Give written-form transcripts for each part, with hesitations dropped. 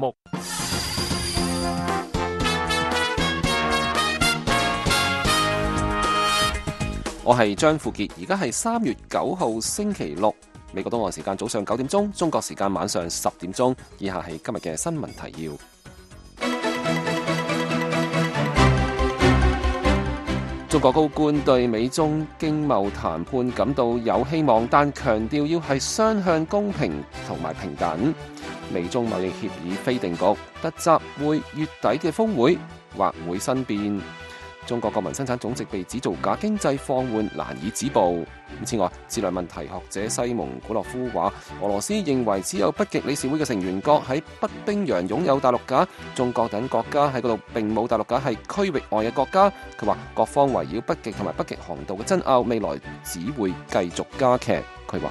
目。我係張富傑，而家係3月9號星期六，美國東岸時間早上9點鐘，中國時間晚上10點鐘。以下係今日嘅新聞提要。中國高官對美中經貿談判感到有希望，但強調要係雙向公平同埋平等。美中貿易協議非定局，突襲會月底嘅峰會或會生變。中國國民生產總值被指造假，經濟放緩難以止步。此外，戰略問題學者西蒙古洛夫話，俄羅斯認為只有北極理事會嘅成員國喺北冰洋擁有大陸架，中國等國家喺嗰度並冇大陸架，係區域外嘅國家。佢話各方圍繞北極同埋北極航道嘅爭拗，未來只會繼續加劇。佢話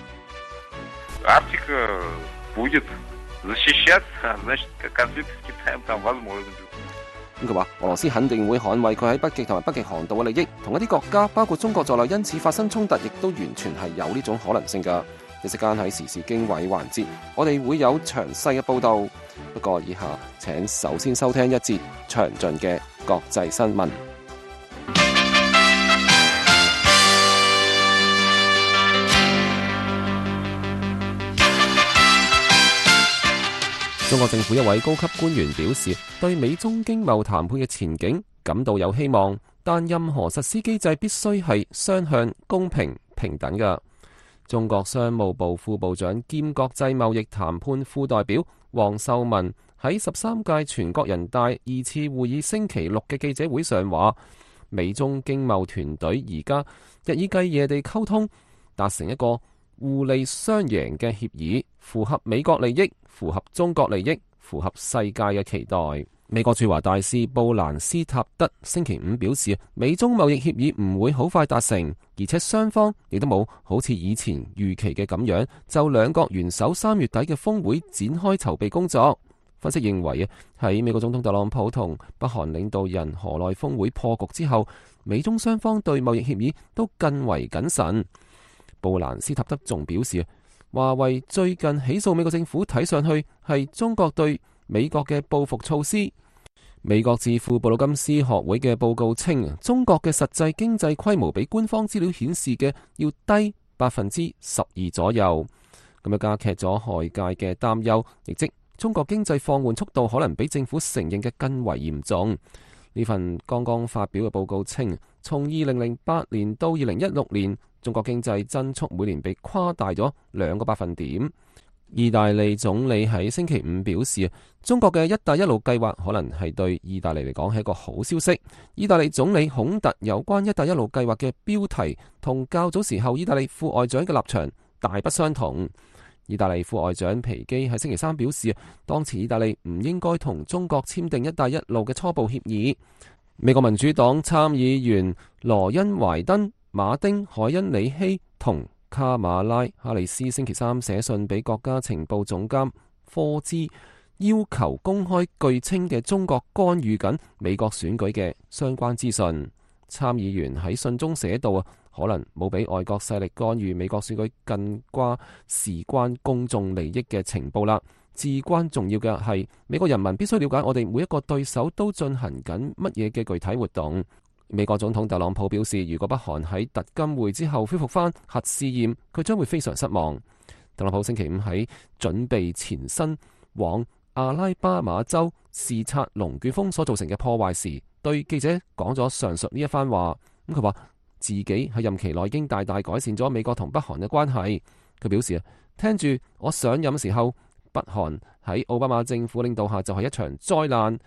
佢話俄羅斯肯定會捍衛佢喺北極同埋北極航道嘅利益，同一啲國家包括中國在內，因此發生衝突，亦都完全係有呢種可能性㗎。一時間喺時事經緯環節，我哋會有詳細嘅報導。不過以下請首先收聽一節詳盡嘅國際新聞。中國政府一位高級官員表示，對美中經貿談判嘅前景感到有希望，但任何實施機制必須係雙向、公平、平等嘅。中國商務部副部長兼國際貿易談判副代表王受文喺13屆全國人大2次會議星期六嘅記者會上話，美中經貿團隊而家日以繼夜地溝通，達成一個互利雙贏嘅協議，符合美國利益，符合中國利益，符合世界嘅期待。美國駐華大使布蘭斯塔德星期五表示，美中貿易協議唔會好快達成，而且雙方亦都冇好似以前預期嘅咁樣就兩國元首3月底嘅峰會展開籌備工作。分析認為喺美國總統特朗普同北韓領導人河內峰會破局之後，美中雙方對貿易協議都更為謹慎。布蘭斯塔德仲表示，華為最近起訴美國政府，睇上去係中國對美國嘅報復措施。美國智庫布魯金斯學會嘅報告稱，中國嘅實際經濟規模比官方資料顯示嘅要低12%左右，咁樣加劇咗外界嘅擔憂，亦即中國經濟放緩速度可能比政府承認嘅更為嚴重。呢份剛剛發表嘅報告稱，從2008年到2016年，中國經濟增速每年被誇大咗2個百分點。意大利總理喺星期五表示，中國嘅一帶一路計劃可能係對意大利嚟講係一個好消息。意大利總理孔特有關一帶一路計劃嘅標題同較早時候意大利副外長嘅立場大不相同。意大利副外長皮基喺星期三表示，當前意大利唔應該同中國簽訂一帶一路嘅初步協議。美國民主黨參議員羅恩懷登、馬丁海恩里希同卡馬拉哈里斯星期三寫信俾國家情報總監科茲，要求公開據稱嘅中國干預緊美國選舉嘅相關資訊。參議員喺信中寫道，可能冇比外國勢力干預美國選舉更加事關公眾利益嘅情報啦。至關重要嘅係，美國人民必須了解我哋每一個對手都進行緊乜嘢嘅具體活動。美國總統特朗普表示，如果北韓喺特金會之後恢復翻核試驗，佢將會非常失望。特朗普星期五喺準備前身往阿拉巴馬州視察龍捲風所造成嘅破壞時，對記者講咗上述呢一番話。佢話自己喺任期內已經大大改善咗美國同北韓嘅關係。佢表示，聽住我上任嘅時候，北韓喺奧巴馬政府領導下就係一場災難。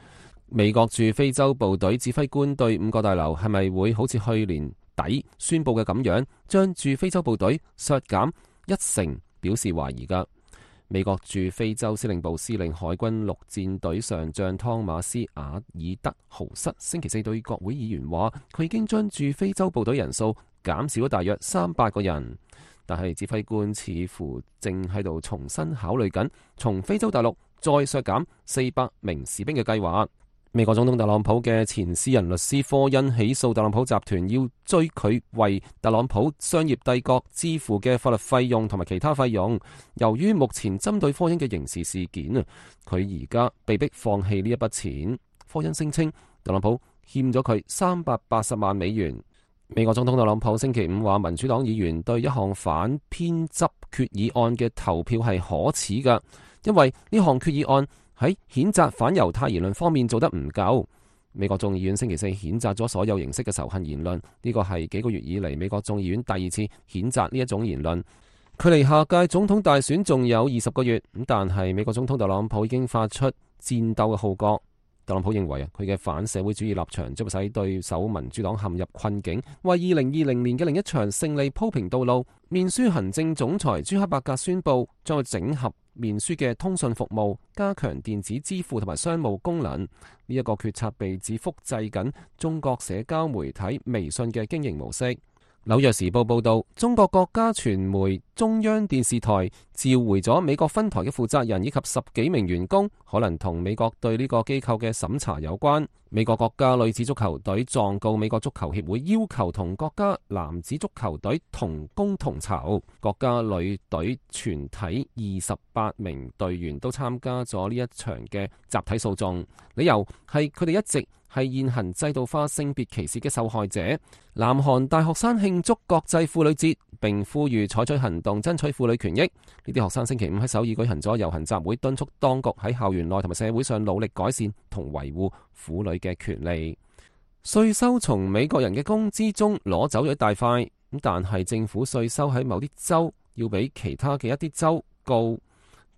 美國駐非洲部隊指揮官對5個大樓係咪會好似去年底宣布嘅咁樣，將駐非洲部隊削減1成表示懷疑㗎。美國駐非洲司令部司令海軍陸戰隊上將湯馬斯·瓦爾德豪瑟星期四對國會議員話，佢已經將駐非洲部隊人數減少咗大約300個人，但係指揮官似乎正喺度重新考慮緊從非洲大陸再削減400名士兵嘅計劃。美國總統特朗普嘅前私人律師科恩起訴特朗普集團，要追佢為特朗普商業帝國支付嘅法律費用同埋其他費用。由於目前針對科恩嘅刑事事件啊，佢而家被迫放棄呢一筆錢。科恩聲稱特朗普欠咗佢380萬美元。美國總統特朗普星期五話，民主黨議員對一項反偏執決議案嘅投票係可恥㗎，因為呢項決議案喺譴責反猶太言論方面做得唔夠。美國眾議院星期四譴責咗所有形式嘅仇恨言論，呢個係幾個月以嚟美國眾議院第二次譴責呢一種言論。距離下屆總統大選仲有20個月，但係美國總統特朗普已經發出戰鬥嘅號角。特朗普認為佢嘅反社會主義立場將會使對手民主黨陷入困境，為2020年嘅另一場勝利鋪平道路。面書行政總裁朱克伯格宣布，將會整合面書嘅通訊服務，加強電子支付同埋商務功能。呢一個決策被指複製緊中國社交媒體微信嘅經營模式。紐約時報報道，中國國家傳媒中央電視台召回咗美國分台嘅負責人以及10幾名員工，可能同美國對呢個機構嘅審查有關。美國國家女子足球隊狀告美國足球協會，要求同國家男子足球隊同工同酬。國家女隊全體28名隊員都參加咗呢一場嘅集體訴訟，理由係佢哋一直係現行制度化性別歧視嘅受害者。南韓大學生慶祝國際婦女節，並呼籲採取行動爭取婦女權益。呢啲學生星期五喺首爾舉行咗遊行集會，敦促當局喺校園內同埋社會上努力改善同維護婦女嘅權利。稅收從美國人嘅工資中攞走咗一大塊，但係政府稅收喺某啲州要比其他嘅一啲州高。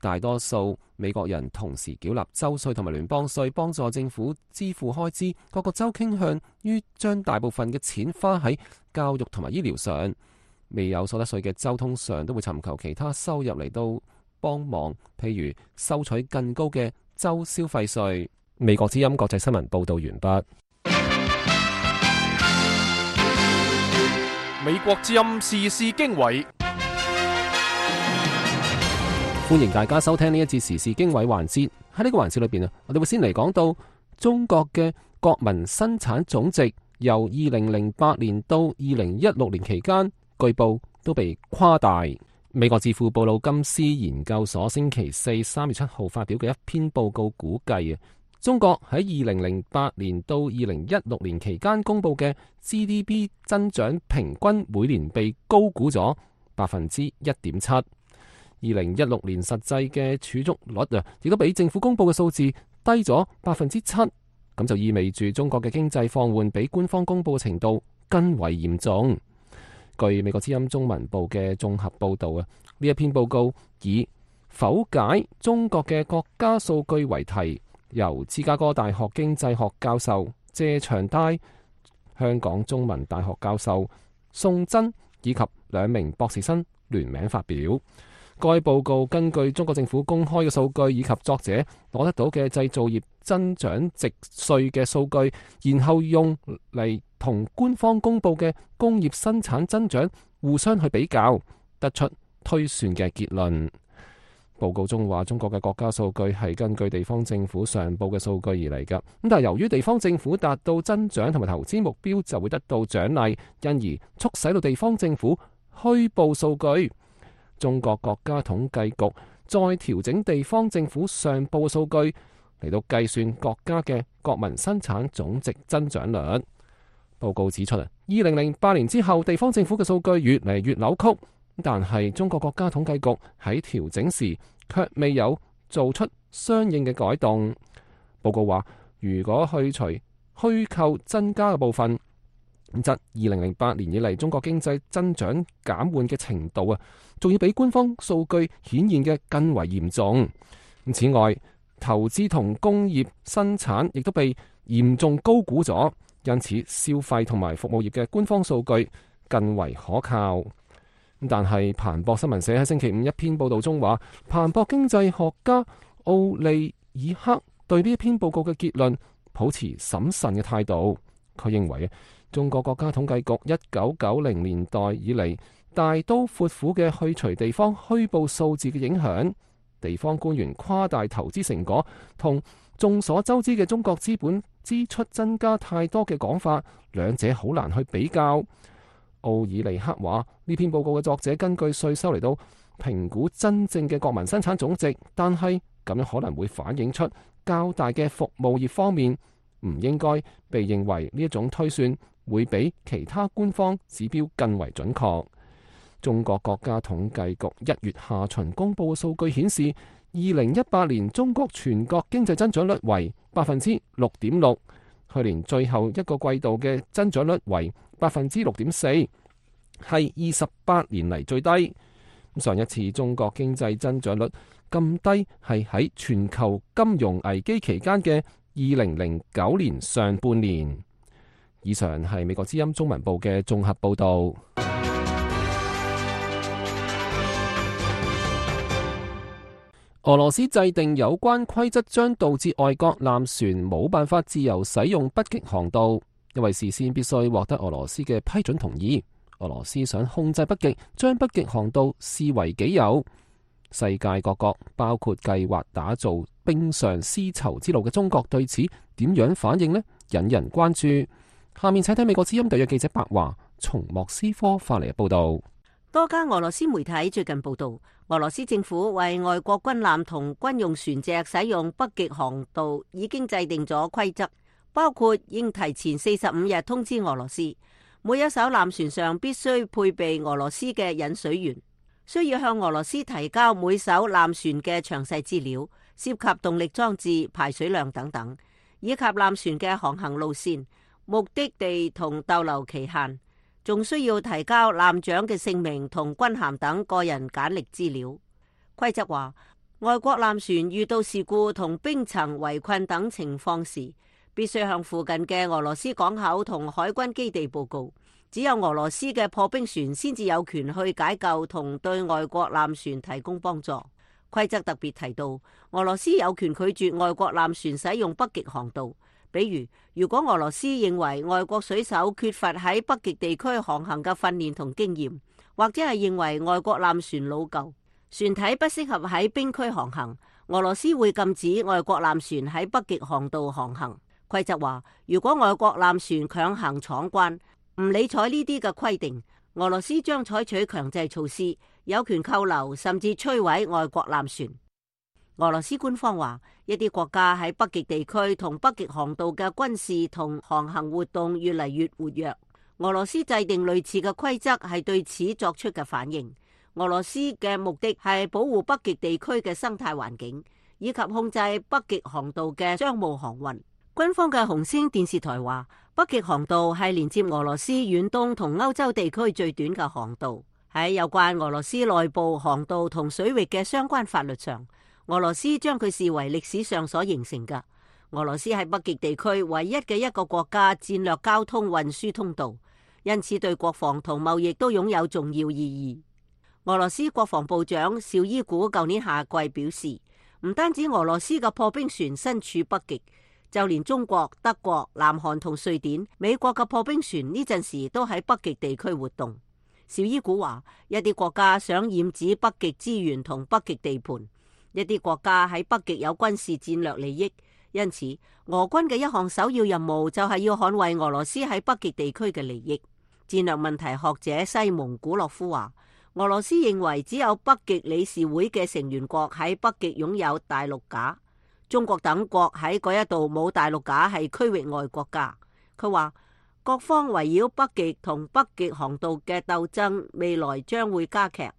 大多數美國人同時繳納州稅同埋聯邦稅，幫助政府支付開支。各個州傾向於將大部分嘅錢花喺教育同埋醫療上。未有所得稅嘅州通常都會尋求其他收入嚟到幫忙，譬如收取更高嘅州消費稅。美國之音國際新聞報道完畢。美國之音時事經緯。歡迎大家收聽呢一節時事經緯環節。喺呢個環節裏邊啊，我哋會先嚟講到中國嘅國民生產總值由2008年到2016年期間，據報都被誇大。美國智庫布魯金斯研究所星期四3月7號發表嘅一篇報告估計啊，中國喺2008年到2016年期間公布嘅 GDP 增長平均每年被高估咗1.7%。2016年實際嘅儲蓄率啊，亦都比政府公布嘅數字低咗7%，咁就意味住中國嘅經濟放緩比官方公布嘅程度更為嚴重。據美國之音中文部嘅綜合報道啊，呢一篇報告以否解中國嘅國家數據為題，由芝加哥大學經濟學教授謝長泰、香港中文大學教授宋真以及2名博士生聯名發表。該報告根據中國政府公開嘅數據以及作者攞得到嘅製造業增長值稅嘅數據，然後用嚟同官方公布嘅工業生產增長互相去比較，得出推算嘅結論。報告中話，中國嘅國家數據係根據地方政府上報嘅數據而嚟㗎，咁但係由於地方政府達到增長同埋投資目標就會得到獎勵，因而促使到地方政府虛報數據。中國國家統計局再調整地方政府上報數據嚟到計算國家嘅國民生產總值增長率。報告指出2008年之後，地方政府嘅數據越嚟越扭曲，但係中國國家統計局喺調整時卻未有做出相應嘅改動。報告話，如果去除虛構增加嘅部分，則2008年以嚟中國經濟增長減緩嘅程度啊，仲要比官方數據顯現嘅更為嚴重。此外，投資同工業生產亦都被嚴重高估咗，因此消費同埋服務業嘅官方數據更為可靠。但係彭博新聞社喺星期五一篇報道中話，彭博經濟學家奧利爾克對呢一篇報告嘅結論抱持審慎嘅態度。佢認為中國國家統計局1990年代以嚟大刀闊斧嘅去除地方虛報數字嘅影響，地方官員誇大投資成果同眾所周知嘅中國資本支出增加太多嘅講法，兩者好難去比較。奧爾尼克話：呢篇報告嘅作者根據稅收嚟到評估真正嘅國民生產總值，但係咁樣可能會反映出較大嘅服務業方面唔應該被認為呢一種推算會比其他官方指標更為準確。中國國家統計局1月下旬公佈嘅數據顯示，2018年中國全國經濟增長率為6.6%，去年最後一個季度嘅增長率為6.4%，係28年嚟最低。上一次中國經濟增長率咁低係喺全球金融危機期間嘅2009年上半年。以上係美國之音中文部嘅綜合報導。俄羅斯制定有關規則將導致外國艦船冇辦法自由使用北極航道，因為事先必須獲得俄羅斯嘅批准同意。俄羅斯想控制北極，將北極航道視為己有。世界各國，包括計劃打造冰上絲綢之路嘅中國，對此點樣反應呢？引人關注。下面請睇美國之音特約記者白華從莫斯科發嚟嘅報道。多家俄羅斯媒體最近報道，俄羅斯政府為外國軍艦同軍用船隻使用北極航道已經制定咗規則，包括應提前45日通知俄羅斯，每一艘艦船上必須配備俄羅斯嘅引水員，需要向俄羅斯提交每艘艦船嘅詳細資料，涉及動力裝置、排水量等等，以及艦船嘅航行路線、目的地同逗留期限。仲需要提交艦長嘅姓名同軍銜等個人簡歷資料。規則話，外國艦船遇到事故同冰層圍困等情況時，必須向附近嘅俄羅斯港口同海軍基地報告。只有俄羅斯嘅破冰船先至有權去解救同對外國艦船提供幫助。規則特別提到，俄羅斯有權拒絕外國艦船使用北極航道。比如，如果俄羅斯認為外國水手缺乏喺北極地區航行嘅訓練同經驗，或者係認為外國艦船老舊，船體不適合喺冰區航行，俄羅斯會禁止外國艦船喺北極航道航行。規則話，如果外國艦船強行闖關，唔理睬呢啲嘅規定，俄羅斯將採取強制措施，有權扣留甚至摧毀外國艦船。俄羅斯官方話，一啲國家喺北極地區同北極航道嘅軍事同航行活動越嚟越活躍。俄羅斯制定類似嘅規則係對此作出嘅反應。俄羅斯嘅目的係保護北極地區嘅生態環境，以及控制北極航道嘅商務航運。軍方嘅紅星電視台話，北極航道係連接俄羅斯遠東同歐洲地區最短嘅航道。喺有關俄羅斯內部航道同水域嘅相關法律上，俄羅斯將佢視為歷史上所形成嘅。俄羅斯係北極地區唯一嘅一個國家戰略交通運輸通道，因此對國防同貿易都擁有重要意義。俄羅斯國防部長紹伊古舊年夏季表示，唔單止俄羅斯嘅破冰船身處北極，就連中國、德國、南韓同瑞典、美國嘅破冰船呢陣時都喺北極地區活動。紹伊古話，一啲國家想染指北極資源同北極地盤，一啲國家喺北極有軍事戰略利益，因此俄軍嘅一項首要任務就係要捍衛俄羅斯喺北極地區嘅利益。戰略問題學者西蒙古洛夫話，俄羅斯認為只有北極理事會嘅成員國喺北極擁有大陸架，中國等國喺嗰一度冇大陸架，係區域外國家。佢話，各方圍繞北極同北極航道嘅鬥爭未來將會加劇。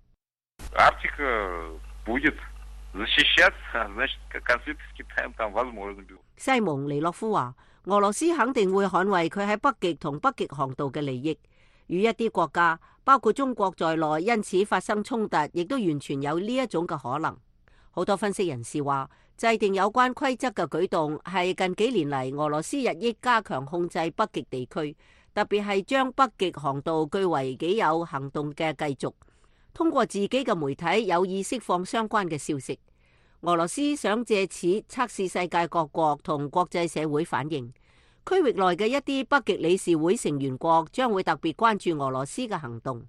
西蒙尼洛夫話，俄羅斯肯定會捍衛佢喺北極同北極航道嘅利益，與一啲國家包括中國在內因此發生衝突，亦都完全有呢一種嘅可能。好多分析人士話，制定有關規則嘅舉動係近幾年嚟俄羅斯日益加強控制北極地區，特別係將北極航道據為己有行動嘅繼續，通過自己嘅媒體有意釋放相關嘅消息。俄羅斯想借此測試世界各國同國際社會反應。區域內嘅一啲北極理事會成員國將會特別關注俄羅斯嘅行動。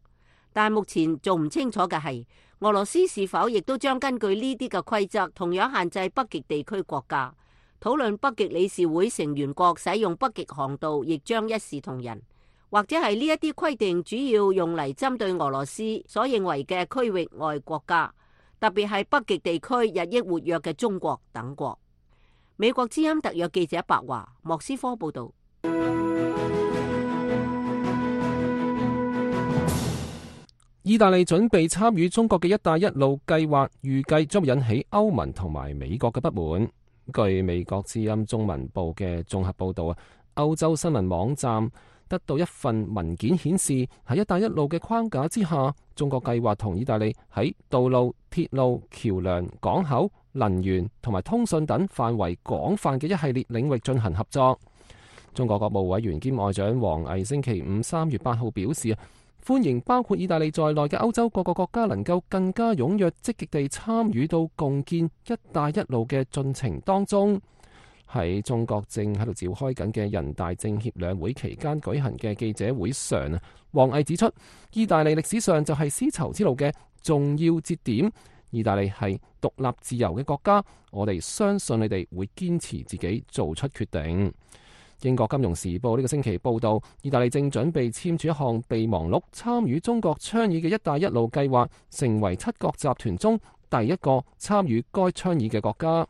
但目前仲唔清楚嘅係，俄羅斯是否亦都將根據呢啲嘅規則，同樣限制北極地區國家。討論北極理事會成員國使用北極航道，亦將一視同仁，或者係呢一啲規定主要用嚟針對俄羅斯所認為嘅區域外國家，特別係北極地區日益活躍嘅中國等國。美國之音特約記者白華，莫斯科報道。意大利準備參與中國嘅一帶一路計劃，預計將引起歐盟同埋美國嘅不滿。據美國之音中文部嘅綜合報導，歐洲新聞網站得到一份文件顯示，喺一帶一路嘅框架之下，中國計劃同意大利喺道路、鐵路、橋樑、港口、能源同埋通訊等範圍廣泛嘅一系列領域進行合作。中國國務委員兼外長王毅星期五3月8號表示，歡迎包括意大利在內嘅歐洲各個國家能夠更加踴躍積極地參與到共建一帶一路嘅進程當中。喺中國正喺度召開緊嘅人大政協兩會期間舉行嘅記者會上，王毅指出，意大利歷史上就係絲綢之路嘅重要節點，意大利係獨立自由嘅國家，我哋相信你哋會堅持自己做出決定。英國金融時報呢個星期報道，意大利正準備簽署一項備忘錄，參與中國倡議嘅一帶一路計劃，成為七國集團中第一個參與該倡議嘅國家。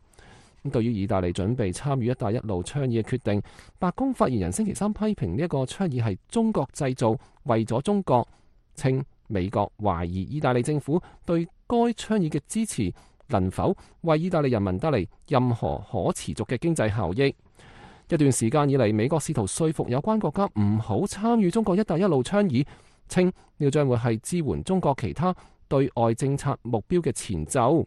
對於意大利準備參與一帶一路倡議嘅決定，白宮發言人星期三批評呢一個倡議係中國製造，為咗中國，稱美國懷疑意大利政府對該倡議嘅支持能否為意大利人民帶嚟任何可持續嘅經濟效益。一段時間以嚟，美國試圖說服有關國家唔好參與中國一帶一路倡議，稱呢個將會係支援中國其他對外政策目標嘅前奏。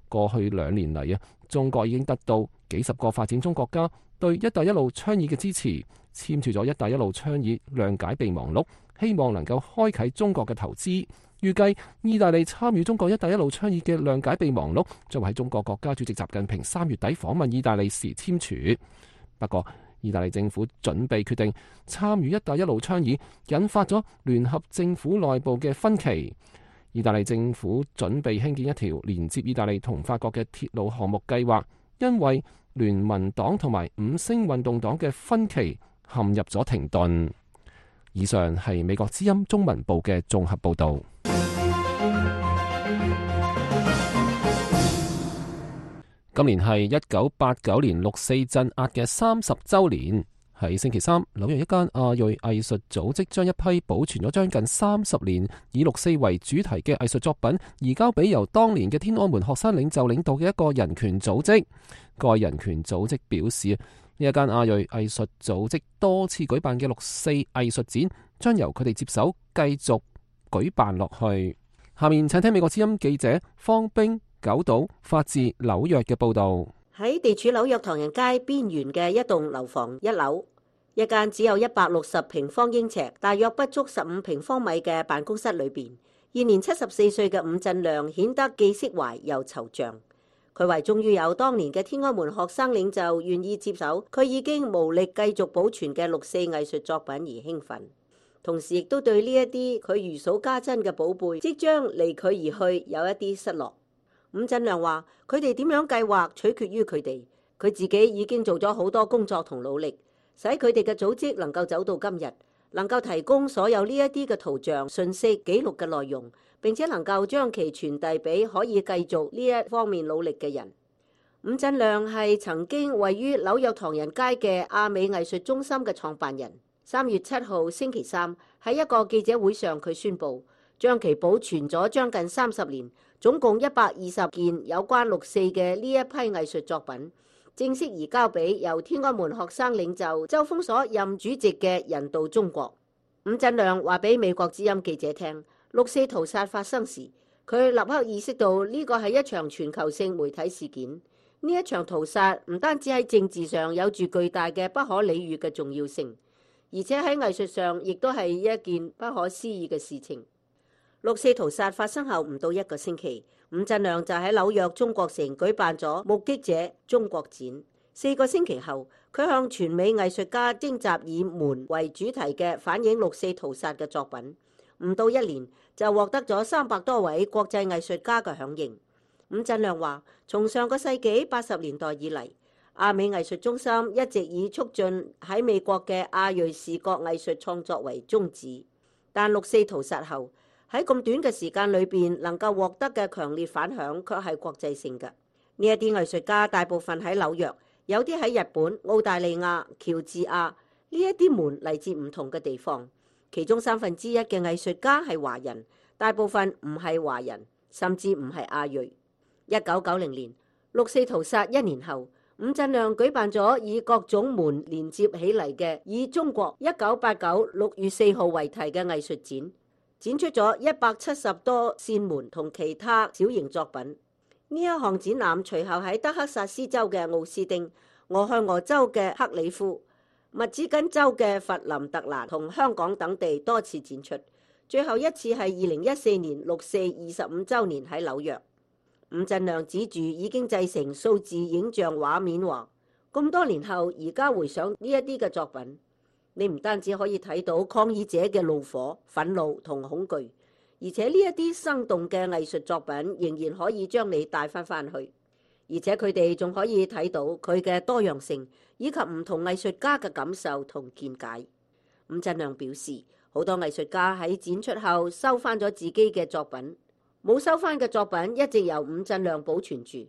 過去2年嚟中國已經得到幾十個發展中國家對一帶一路倡議嘅支持，簽署咗一帶一路倡議諒解備忘錄，希望能夠開啟中國嘅投資。預計意大利參與中國一帶一路倡議嘅諒解備忘錄，將會喺中國國家主席習近平3月底訪問意大利時簽署。不過，意大利政府準備決定參與一帶一路倡議，引發咗聯合政府內部嘅分歧。意大利政府準備興建一條連接意大利同法國嘅鐵路項目計劃，因為聯盟黨同埋五星運動黨嘅分歧陷入咗停頓。以上係美國之音中文部嘅綜合報導。今年係1989年六四鎮壓嘅30週年。喺星期三，紐約一間亞裔藝術組織將一批保存咗將近30年以六四為主題嘅藝術作品移交俾由當年嘅天安門學生領袖領導嘅一個人權組織。該人權組織表示，呢一間亞裔藝術組織多次舉辦嘅六四藝術展將由佢哋接手繼續舉辦落去。下面請聽美國之音記者方冰九島發自紐約嘅報道。喺地處紐約唐人街邊緣嘅一棟樓房1樓，一間只有160平方英尺，大約不足15平方米嘅辦公室裏邊，現年74歲嘅伍振亮顯得既釋懷又惆悵。佢為終於有當年嘅天安門學生領袖願意接手佢已經無力繼續保存嘅六四藝術作品而興奮，同時亦都對呢一啲佢如數家珍嘅寶貝即將離佢而去有一啲失落。伍振亮話：佢哋點樣計劃取決於佢哋，佢自己已經做咗好多工作同努力，使佢哋嘅組織能夠走到今日，能夠提供所有呢一啲嘅圖像、信息、記錄嘅內容，並且能夠將其傳遞俾可以繼續呢一方面努力嘅人。伍振亮係曾經位於紐約唐人街嘅亞美藝術中心嘅創辦人。3月7號星期三喺一個記者會上，佢宣布將其保存咗將近30年，總共120件有關六四嘅呢一批藝術作品，正式移交俾由天安門學生領袖周鋒所任主席嘅人道中國。伍振亮話俾美國之音記者聽，六四屠殺發生時，佢立刻意識到呢個係一場全球性媒體事件。呢一場屠殺唔單止喺政治上有住巨大嘅不可理喻嘅重要性，而且喺藝術上亦都係一件不可思議嘅事情。六四屠殺發生後唔到1個星期，伍振亮就喺紐約中國城舉辦咗目擊者中國展。4個星期後，佢向全美藝術家徵集以門為主題嘅反映六四屠殺嘅作品。唔到1年就獲得咗300多位國際藝術家嘅響應。伍振亮話：從上個世紀80年代以嚟，亞美藝術中心一直以促進喺美國嘅亞裔視覺藝術創作為宗旨，但6四屠殺後喺咁短嘅時間裏邊能夠獲得嘅強烈反響卻係國際性嘅。呢一啲藝術家大部分喺紐約，有啲喺日本、澳大利亞、喬治亞，呢一啲門嚟自唔同嘅地方，其中1/3嘅藝術家係華人，大部分唔係華人，甚至唔係亞裔。1990年6四屠殺1年後，伍振亮舉辦咗以各種門連接起嚟嘅以中國1989 6月4號為題嘅藝術展，展出咗170多扇門同其他小型作品。呢一項展覽隨後喺德克薩斯州嘅奧斯丁、俄亥俄州嘅克里夫、密芝根州嘅佛林特蘭同香港等地多次展出，最後一次係2014年6四25週年喺紐約。伍振亮指住已經製成數字影像畫面話：咁多年後，而家回想呢一啲嘅作品，你唔單止可以睇到抗議者嘅怒火、憤怒同恐懼，而且呢一啲生動嘅藝術作品仍然可以將你帶翻去，而且佢哋仲可以睇到佢嘅多樣性以及唔同藝術家嘅感受同見解。伍振亮表示，好多藝術家喺展出後收翻咗自己嘅作品。冇收翻嘅作品一直由伍振亮保存住。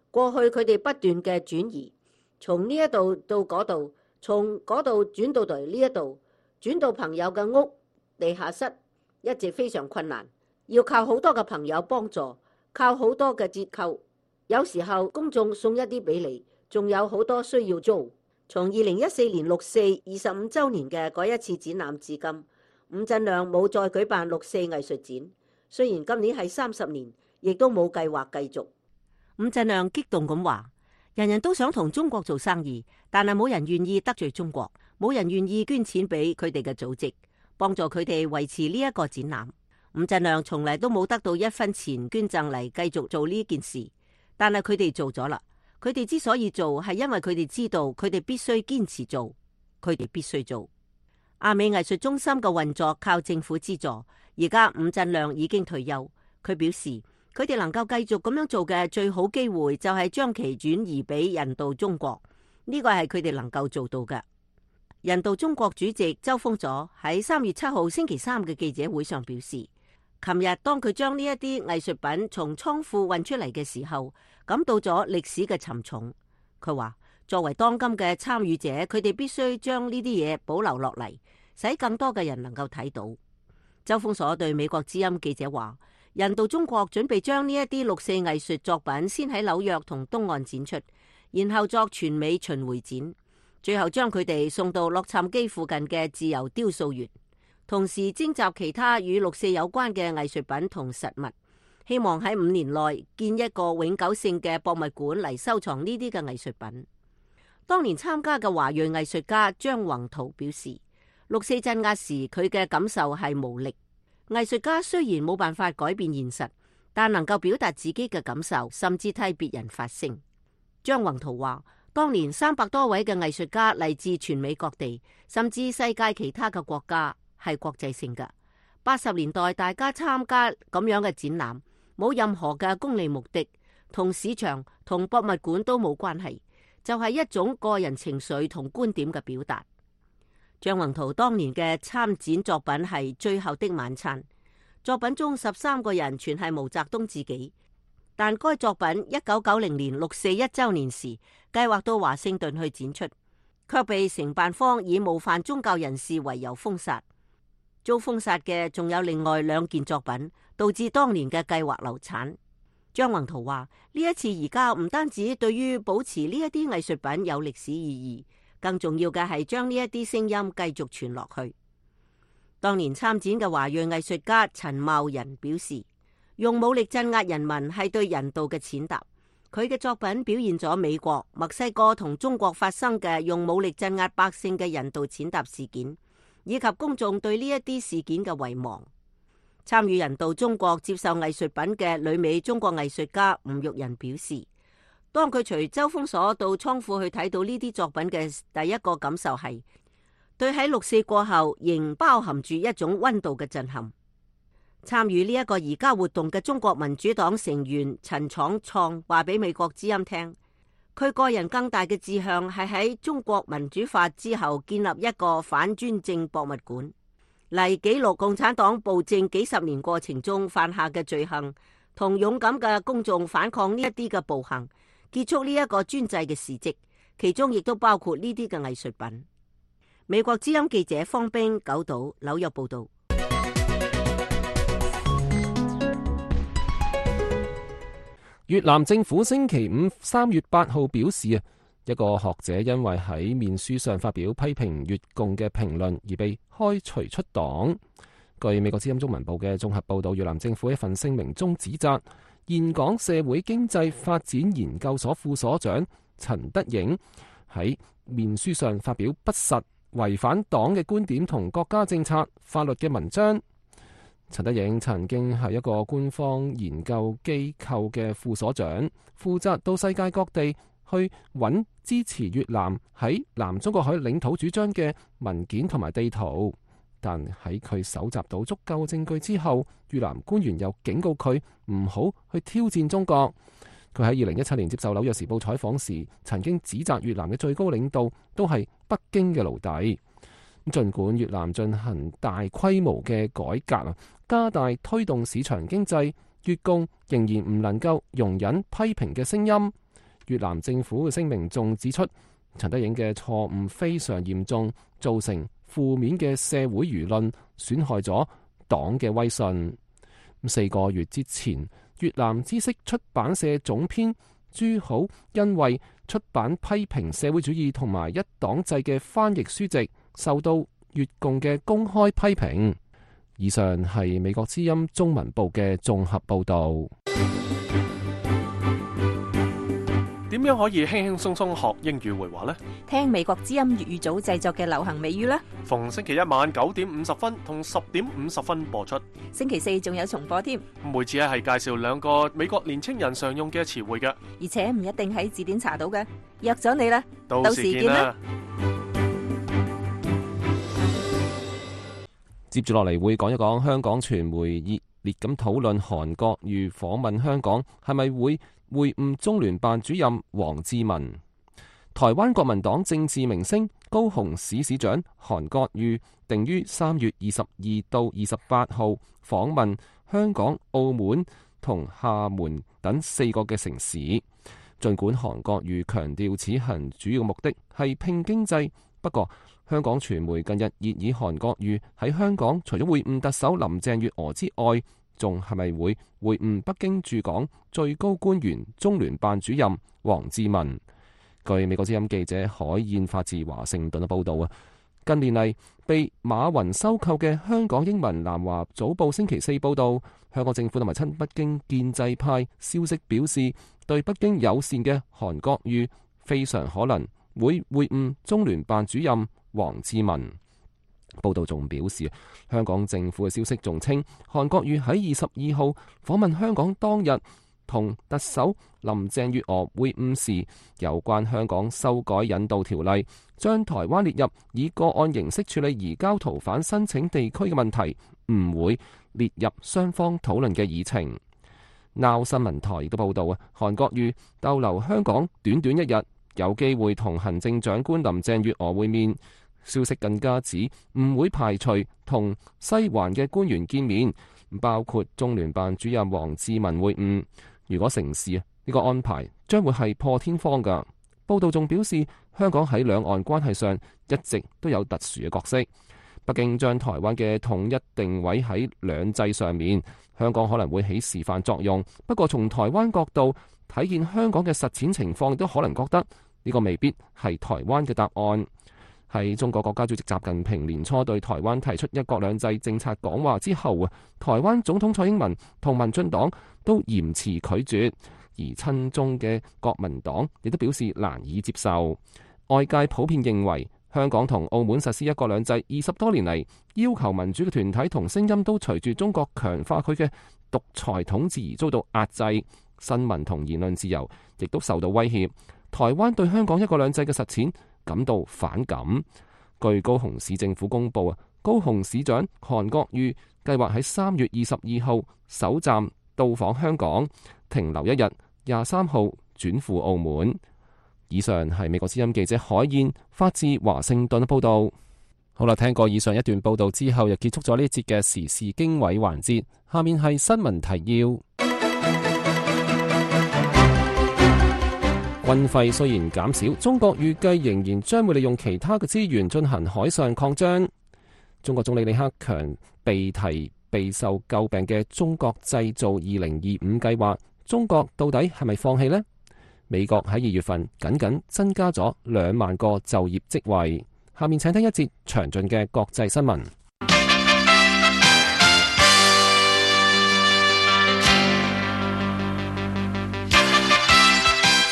過去佢哋不斷嘅轉移，從呢一度到嗰度，從嗰度轉到嚟呢一度，轉到朋友嘅屋、地下室，一直非常困難，要靠好多嘅朋友幫助，靠好多嘅折扣。有時候公眾送一啲俾你，仲有好多需要租。從2014年6四25週年嘅嗰一次展覽至今，伍振亮冇再舉辦6四藝術展。雖然今年係30年，亦都冇計劃繼續。伍振亮激動咁話：人人都想同中國做生意，但係冇人願意得罪中國，冇人願意捐錢俾佢哋嘅組織，幫助佢哋維持呢一個展覽。伍振亮從嚟都冇得到1分錢捐贈嚟繼續做呢件事，但係佢哋做咗啦。佢哋之所以做，係因為佢哋知道佢哋必須堅持做，佢哋必須做。亞美藝術中心嘅運作靠政府資助。而家伍振亮已經退休，佢表示佢哋能夠繼續咁樣做嘅最好機會就係將其轉移俾人道中國，呢個係佢哋能夠做到嘅。人道中國主席周鋒佐喺3月7號星期3嘅記者會上表示，琴日當佢將呢一啲藝術品從倉庫運出嚟嘅時候，感到咗歷史嘅沉重。佢話作為當今嘅參與者，佢哋必須將呢啲嘢保留落嚟，使更多嘅人能夠睇到。周鋒佐對美國之音記者話：人道中國準備將呢一啲6四藝術作品先喺紐約同東岸展出，然後作全美巡迴展，最後將佢哋送到洛杉磯附近嘅自由雕塑園，同時徵集其他與6四有關嘅藝術品同實物，希望喺5年內建一個永久性嘅博物館嚟收藏呢啲嘅藝術品。當年參加嘅華裔藝術家張宏圖表示，6四鎮壓時佢嘅感受係無力。藝術家雖然冇辦法改變現實，但能夠表達自己嘅感受，甚至替別人發聲。張宏圖話，當年300多位嘅藝術家嚟自全美各地，甚至世界其他嘅國家，係國際性嘅。80年代大家參加咁樣嘅展覽，冇任何嘅功利目的，同市場同博物館都冇關係，就係一種個人情緒同觀點嘅表達。張宏圖當年嘅參展作品係《最後的晚餐》，作品中13個人全係毛澤東自己。但該作品1990年6四1週年時計劃到華盛頓去展出，卻被承辦方以冒犯宗教人士為由封殺。遭封殺嘅仲有另外2件作品，導致當年嘅計劃流產。張宏圖話：呢一次而家唔單止對於保持呢一啲藝術品有歷史意義，更重要嘅係將呢一啲聲音繼續傳落去。當年參展嘅華裔藝術家陳茂仁表示，用武力鎮壓人民係對人道嘅踐踏。佢嘅作品表現咗美國、墨西哥同中國發生嘅用武力鎮壓百姓嘅人道踐踏事件，以及公眾對呢一啲事件嘅遺忘。參與人道中國接受藝術品嘅旅美中國藝術家吳玉仁表示，當佢隨周鋒佐到倉庫去睇到呢啲作品嘅第一個感受係，對喺6四過後仍包含住一種溫度嘅震撼。參與呢一個移交活動嘅中國民主黨成員陳闖創話俾美國之音聽，佢個人更大嘅志向係喺中國民主化之後建立一個反專政博物館，嚟記錄共產黨暴政幾十年過程中犯下嘅罪行，同勇敢嘅公眾反抗呢一啲嘅暴行，結束呢一個專制嘅事蹟，其中亦都包括呢啲嘅藝術品。美國之音記者方冰九島紐約報道。越南政府星期五3月8號表示一個學者因為喺面書上發表批評越共嘅評論而被開除出黨。據美國之音中文部嘅綜合報道，越南政府一份聲明中指責峴港社會經濟發展研究所副所長陳德影喺面書上發表不實、違反黨嘅觀點同國家政策、法律嘅文章。陳德影曾經係一個官方研究機構嘅副所長，負責到世界各地去揾支持越南喺南中國海領土主張嘅文件同埋地圖。但喺佢搜集到足夠證據之後，越南官員又警告佢唔好去挑戰中國。佢喺2017年接受紐約時報採訪時，曾經指責越南嘅最高領導都係北京嘅奴隸。儘管越南進行大規模嘅改革，加大推動市場經濟，越共仍然唔能夠容忍批評嘅聲音。越南政府嘅聲明仲指出，陳德影嘅錯誤非常嚴重，造成負面嘅社會輿論，損害咗黨嘅威信。4個月之前，越南知識出版社總編朱好因為出版批評社會主義同埋一黨制嘅翻譯書籍，受到越共嘅公開批評。以上係美國之音中文部嘅綜合報導。點樣可以輕輕鬆鬆學英語會話呢？聽美國之音粵語組製作嘅流行美語啦。逢星期一晚9點50分同10點50分播出。星期四仲有重播添。每次係介紹2個美國年青人常用嘅詞彙嘅，而且唔一定喺字典查到嘅。約咗你啦，到時見啦。接住落嚟會講一講香港傳媒熱烈咁討論韓國瑜訪問香港係咪會會晤中聯辦主任王志民。台灣國民黨政治明星高雄市市長韓國瑜定於3月22到28號訪問香港、澳門同廈門等4個嘅城市。儘管韓國瑜強調此行主要目的係拼經濟，不過香港傳媒近日熱議韓國瑜喺香港除咗會晤特首林鄭月娥之外，仲係咪會晤北京駐港最高官員中聯辦主任王志民？據美國之音記者海燕發自華盛頓嘅報道近年嚟被馬雲收購嘅香港英文南華早報星期四報道，香港政府同埋親北京建制派消息表示，對北京友善嘅韓國瑜非常可能會晤中聯辦主任王志民。報道仲表示，香港政府嘅消息仲稱，韓國瑜喺22號訪問香港當日，同特首林鄭月娥會晤時，有關香港修改引渡條例，將台灣列入以個案形式處理移交逃犯申請地區嘅問題，唔會列入雙方討論嘅議程。Now 新聞台亦都報道韓國瑜逗留香港短短1日，有機會同行政長官林鄭月娥會面。消息更加指唔會排除同西環嘅官員見面，包括中聯辦主任王志民會晤。如果成事，呢個安排將會係破天荒㗎。報道仲表示，香港喺兩岸關係上一直都有特殊嘅角色。北京將台灣嘅統一定位喺兩制上面，香港可能會起示範作用。不過從台灣角度睇見香港嘅實踐情況，亦都可能覺得呢個未必係台灣嘅答案。喺中國國家主席習近平年初對台灣提出一國兩制政策講話之後，台灣總統蔡英文同民進黨都嚴詞拒絕，而親中嘅國民黨亦都表示難以接受。外界普遍認為，香港同澳門實施一國兩制20多年嚟，要求民主嘅團體同聲音都隨住中國強化佢嘅獨裁統治而遭到壓制，新聞同言論自由亦都受到威脅。台灣對香港一國兩制嘅實踐感到反感。據高雄市政府公佈高雄市長韓國瑜計劃喺3月22號首站到訪香港，停留1日，23號轉赴澳門。以上係美國之音記者海燕發自華盛頓報道。好啦，聽過以上一段報道之後，又結束咗呢一節嘅時事經緯環節。下面係新聞提要。軍費雖然減少，中國預計仍然將會利用其他嘅資源進行海上擴張。中國總理李克強被提備受詬病嘅中國製造2025計劃，中國到底係咪放棄呢？美國喺2月份僅增加咗2萬個就業職位。下面請聽一節詳盡嘅國際新聞。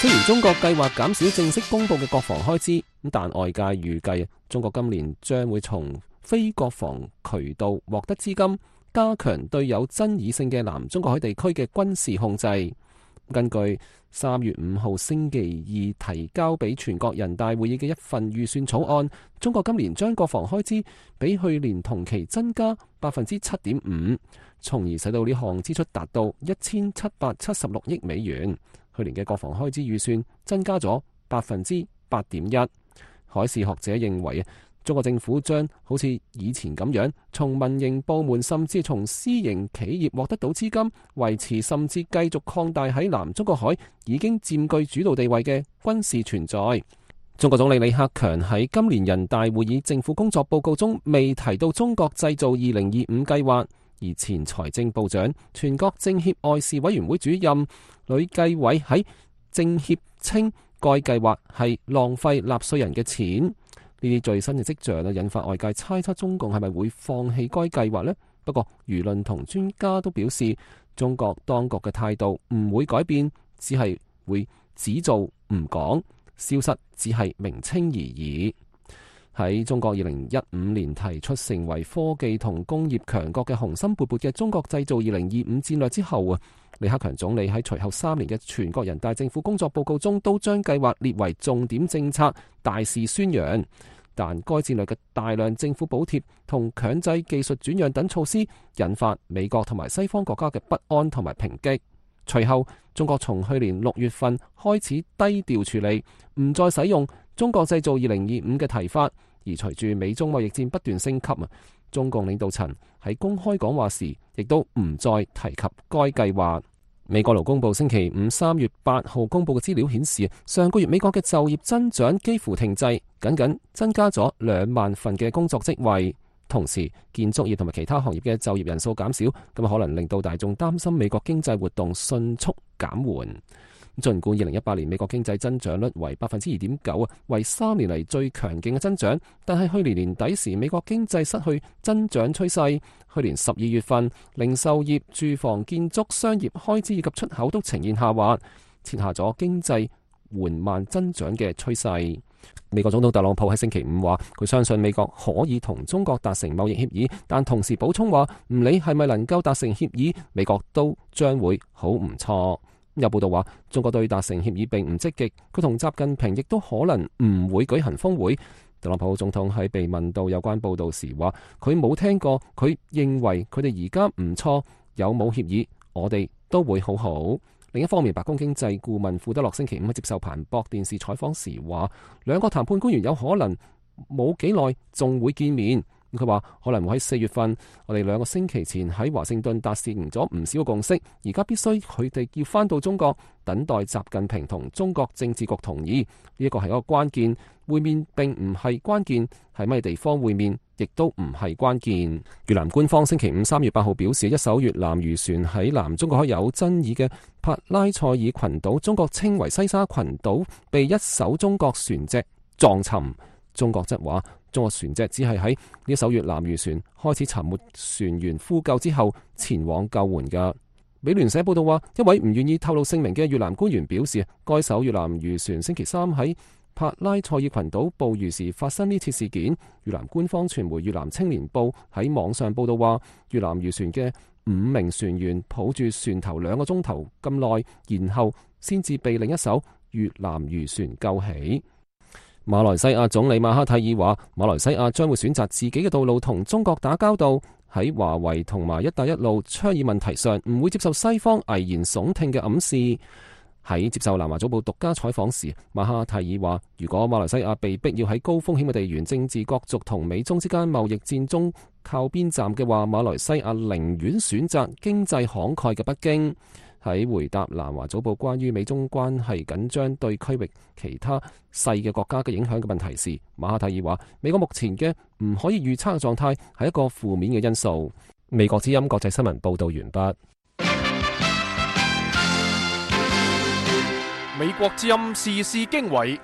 雖然中國計劃減少正式公布嘅國防開支，但外界預計中國今年將會從非國防渠道獲得資金，加強對有爭議性嘅南中國海地區嘅軍事控制。根據3月5號星期二提交俾全國人大會議嘅一份預算草案，中國今年將國防開支比去年同期增加 7.5%， 從而使到呢項支出達到1776億美元。去年嘅國防開支預算增加咗 8.1%。海事學者認為，中國政府將好似以前咁樣，從民營部門甚至從私營企業獲得到資金，維持甚至繼續擴大喺南中國海已經佔據主導地位嘅軍事存在。中國總理李克強喺今年人大會議政府工作報告中未提到中國製造2025計劃，而前財政部長、全國政協外事委員會主任呂繼偉喺政協稱該計劃係浪費納稅人嘅錢。呢啲最新嘅跡象引發外界猜測中共係咪會放棄該計劃呢？不過輿論同專家都表示，中國當局嘅態度唔會改變，只係會只做唔講，消失只係名稱而已。喺中國2015年提出成為科技同工業強國嘅雄心勃勃嘅中國製造2025戰略之後，李克強總理喺隨後3年嘅全國人大政府工作報告中都將計劃列為重點政策，大肆宣揚。但該戰略嘅大量政府補貼同強制技術轉讓等措施，引發美國同埋西方國家嘅不安同埋抨擊。隨後，中國從去年6月份開始低調處理，唔再使用中國製造2025嘅提法。而隨住美中貿易戰不斷升級，中共領導層喺公開講話時，亦都唔再提及該計劃。美國勞工部星期5 3月8號公佈嘅資料顯示，上個月美國嘅就業增長幾乎停滯，僅增加咗2萬份嘅工作職位。同時，建築業同埋其他行業嘅就業人數減少，咁可能令到大眾擔心美國經濟活動迅速減緩。儘管2018年美國經濟增長率為 2.9%， 為3年嚟最強勁嘅增長，但係去年年底時美國經濟失去增長趨勢。去年12月份，零售業、住房、建築、商業開支以及出口都呈現下滑，設下咗經濟緩慢增長嘅趨勢。美國總統特朗普喺星期5話，佢相信美國可以同中國達成貿易協議，但同時補充話，唔理係咪能夠達成協議，美國都將會好唔錯。有報道話，中國對達成協議並唔積極，佢同習近平亦都可能唔會舉行峰會。特朗普總統喺被問到有關報道時話，佢冇聽過，佢認為佢哋而家唔錯，有冇協議，我哋都會好好。另一方面，白宮經濟顧問庫德洛星期5喺接受彭博電視採訪時話，兩個談判官員有可能冇幾耐仲會見面。佢話可能會喺4月份，我哋2個星期前喺華盛頓達成咗唔少嘅共識，而家必須佢哋要返到中國，等待習近平同中國政治局同意。呢一個係一個關鍵，會面並唔係關鍵，係咩地方會面亦都唔係關鍵。越南官方星期5 3月8號表示，一艘越南漁船喺南中國海有爭議嘅帕拉塞爾群島，中國稱為西沙群島，被一艘中國船隻撞沉。中國則話，中國船隻只係喺呢艘越南漁船開始沉沒船員呼救之後前往救援㗎。美聯社報道話，一位唔願意透露姓名嘅越南官員表示，該艘越南漁船星期3喺帕拉塞爾群島捕魚時發生呢次事件。越南官方傳媒越南青年報喺網上報道話，越南漁船嘅5名船員抱住船頭2個鐘頭咁耐，然後先至被另一艘越南漁船救起。馬來西亞總理馬哈蒂爾話，馬來西亞將會選擇自己嘅道路同中國打交道。喺華為同埋一帶一路倡議問題上，唔會接受西方危言聳聽嘅暗示。喺接受南華早報獨家採訪時，馬哈蒂爾話，如果馬來西亞被逼要喺高風險嘅地緣政治角逐同美中之間貿易戰中靠邊站嘅話，馬來西亞寧願選擇經濟慷慨嘅北京。喺回答南華早報關於美中關係緊張對區域其他細嘅國家嘅影響嘅問題時，馬哈蒂爾話，美國目前嘅唔可以預測嘅狀態係一個負面嘅因素。美國之音國際新聞報道完畢。美國之音時事經緯，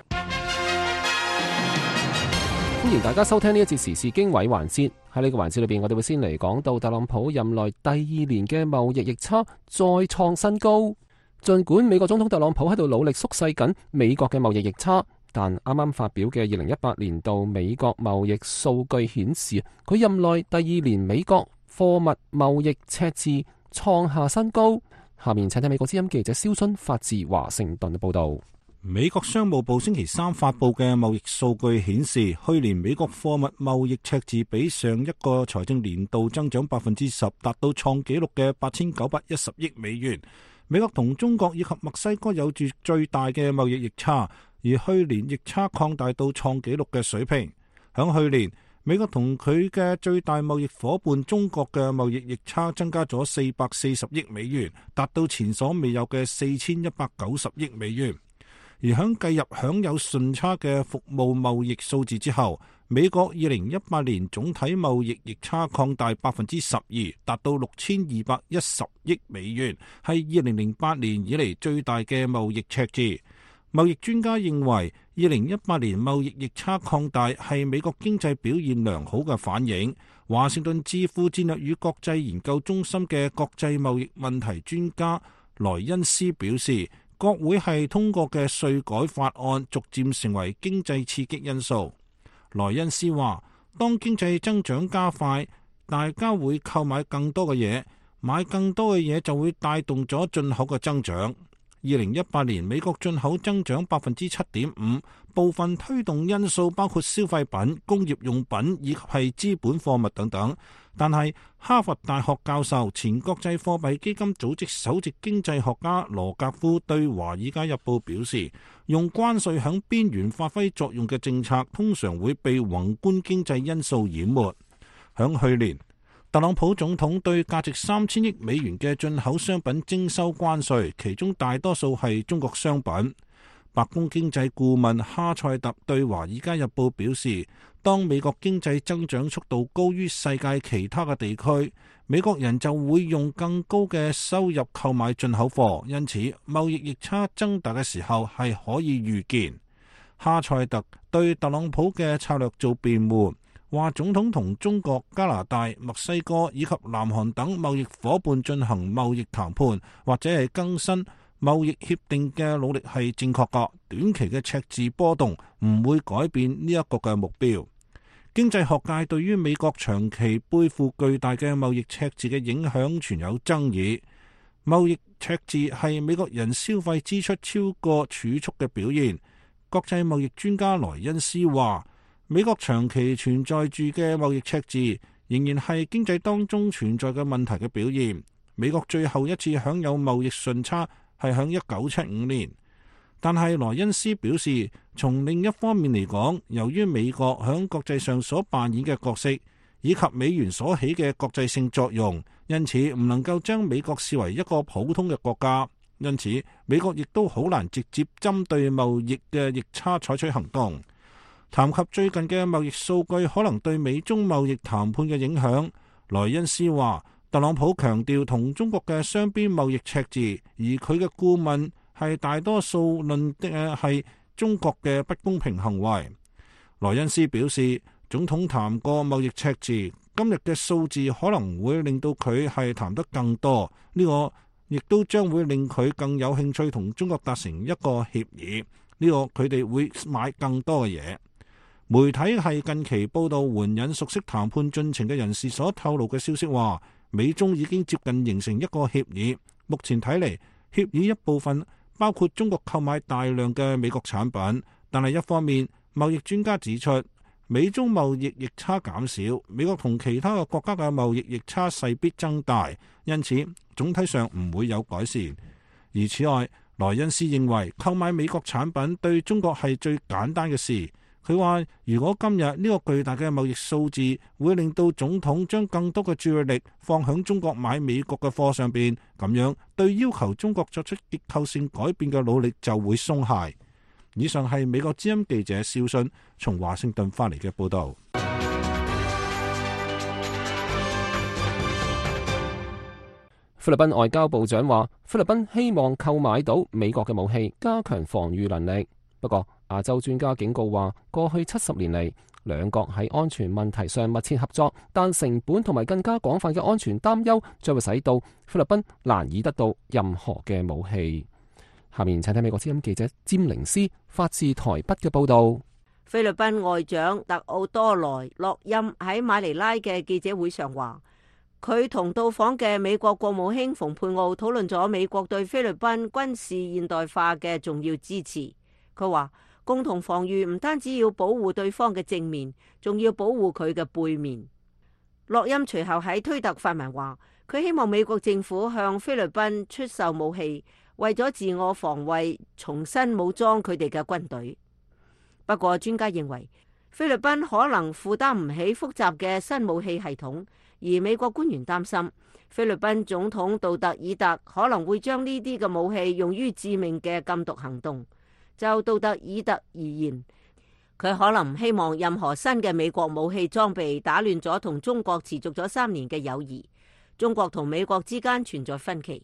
歡迎大家收聽呢一節時事經緯環節。喺呢個環節裏邊，我哋會先嚟講到特朗普任內第二年嘅貿易逆差再創新高。儘管美國總統特朗普喺度努力縮細緊美國嘅貿易逆差，但啱啱發表嘅2018年度美國貿易數據顯示，佢任內第二年美國貨物貿易赤字創下新高。下面請睇美國之音記者蕭春發自華盛頓嘅報道。美國商務部星期三發布嘅貿易數據顯示，去年美國貨物貿易赤字比上一個財政年度增長 10%， 達到創紀錄嘅8910億美元。美國同中國以及墨西哥有住最大嘅貿易逆差，而去年逆差擴大到創紀錄嘅水平。響去年，美國同佢嘅最大貿易夥伴中國嘅貿易逆差增加咗440億美元，達到前所未有嘅4190億美元。而響計入享有順差嘅服務貿易數字之後，美國2018年總體貿易逆差擴大12%，達到6210億美元，係2008年以嚟最大嘅貿易赤字。貿易專家認為，2018年貿易逆差擴大係美國經濟表現良好嘅反應。華盛頓智庫戰略與國際研究中心嘅國際貿易問題專家萊恩斯表示，國會係通過嘅稅改法案逐漸成為經濟刺激因素。萊恩斯話，當經濟增長加快，大家會購買更多嘅嘢，買更多嘅嘢就會帶動咗進口嘅增長。2018年美國進口增長 7.5%， 部分推動因素包括消費品、工業用品以及係資本貨物等等。但係哈佛大學教授、前國際貨幣基金組織首席經濟學家羅格夫對《華爾街日報》表示，用關稅響邊緣發揮作用嘅政策通常會被宏觀經濟因素淹沒。響去年，特朗普總統對價值3000億美元嘅進口商品徵收關稅，其中大多數係中國商品。白宮經濟顧問哈塞特對《華爾街日報》表示，當美國經濟增長速度高於世界其他嘅地區，美國人就會用更高嘅收入購買進口貨，因此貿易逆差增大嘅時候係可以預見。哈塞特對特朗普嘅策略做辯護，話總統同中國、加拿大、墨西哥以及南韓等貿易夥伴進行貿易談判或者係更新貿易協定嘅努力係正確㗎，短期嘅赤字波動唔會改變呢一個嘅目標。經濟學界對於美國長期背負巨大嘅貿易赤字嘅影響存有爭議。貿易赤字係美國人消費支出超過儲蓄嘅表現。國際貿易專家萊恩斯話，美國長期存在住嘅貿易赤字仍然係經濟當中存在嘅問題嘅表現。美國最後一次享有貿易順差係響1975年，但係萊恩斯表示，從另一方面嚟講，由於美國響國際上所扮演嘅角色，以及美元所起嘅國際性作用，因此唔能夠將美國視為一個普通嘅國家。因此，美國亦都好難直接針對貿易嘅逆差採取行動。談及最近嘅貿易數據可能對美中貿易談判嘅影響，萊恩斯話，特朗普強調同中國嘅雙邊貿易赤字，而佢嘅顧問係大多數論嘅係中國嘅不公平行為。萊恩斯表示，總統談過貿易赤字，今日嘅數字可能會令到佢係談得更多，呢個亦都將會令佢更有興趣同中國達成一個協議，呢個佢哋會買更多嘅嘢。媒體係近期報道援引熟悉談判進程嘅人士所透露嘅消息話，美中已經接近形成一個協議。目前睇嚟，協議一部分包括中國購買大量嘅美國產品，但係一方面貿易專家指出，美中貿易逆差減少，美國同其他嘅國家嘅貿易逆差勢必增大，因此總體上唔會有改善。而此外，萊恩斯認為購買美國產品對中國係最簡單嘅事。佢話：如果今日呢個巨大嘅貿易數字會令到總統將更多嘅注意力放響中國買美國嘅貨上邊，咁樣對要求中國作出結構性改變嘅努力就會鬆懈。以上係美國之音記者肖遜從華盛頓翻嚟嘅報導。菲律賓外交部長話：菲律賓希望購買到美國嘅武器，加強防禦能力。不過，亞洲專家警告話，過去70年嚟，兩國喺安全問題上密切合作，但成本同埋更加廣泛嘅安全擔憂，將會使到菲律賓難以得到任何嘅武器。下面請睇美國之音記者詹寧斯發自台北嘅報道。菲律賓外長特奧多萊洛欽喺馬尼拉嘅記者會上話，佢同到訪嘅美國國務卿蓬佩奧討論咗美國對菲律賓軍事現代化嘅重要支持。佢話，共同防禦唔單止要保護對方嘅正面，仲要保護佢嘅背面。洛欽隨後喺推特發文話，佢希望美國政府向菲律賓出售武器，為咗自我防衛，重新武裝佢哋嘅軍隊。不過專家認為，菲律賓可能負擔唔起複雜嘅新武器系統，而美國官員擔心菲律賓總統杜特爾特可能會將呢啲嘅武器用於致命嘅禁毒行動。就杜特爾特而言，佢可能唔希望任何新嘅美國武器裝備打亂咗同中國持續咗3年嘅友誼。中國同美國之間存在分歧。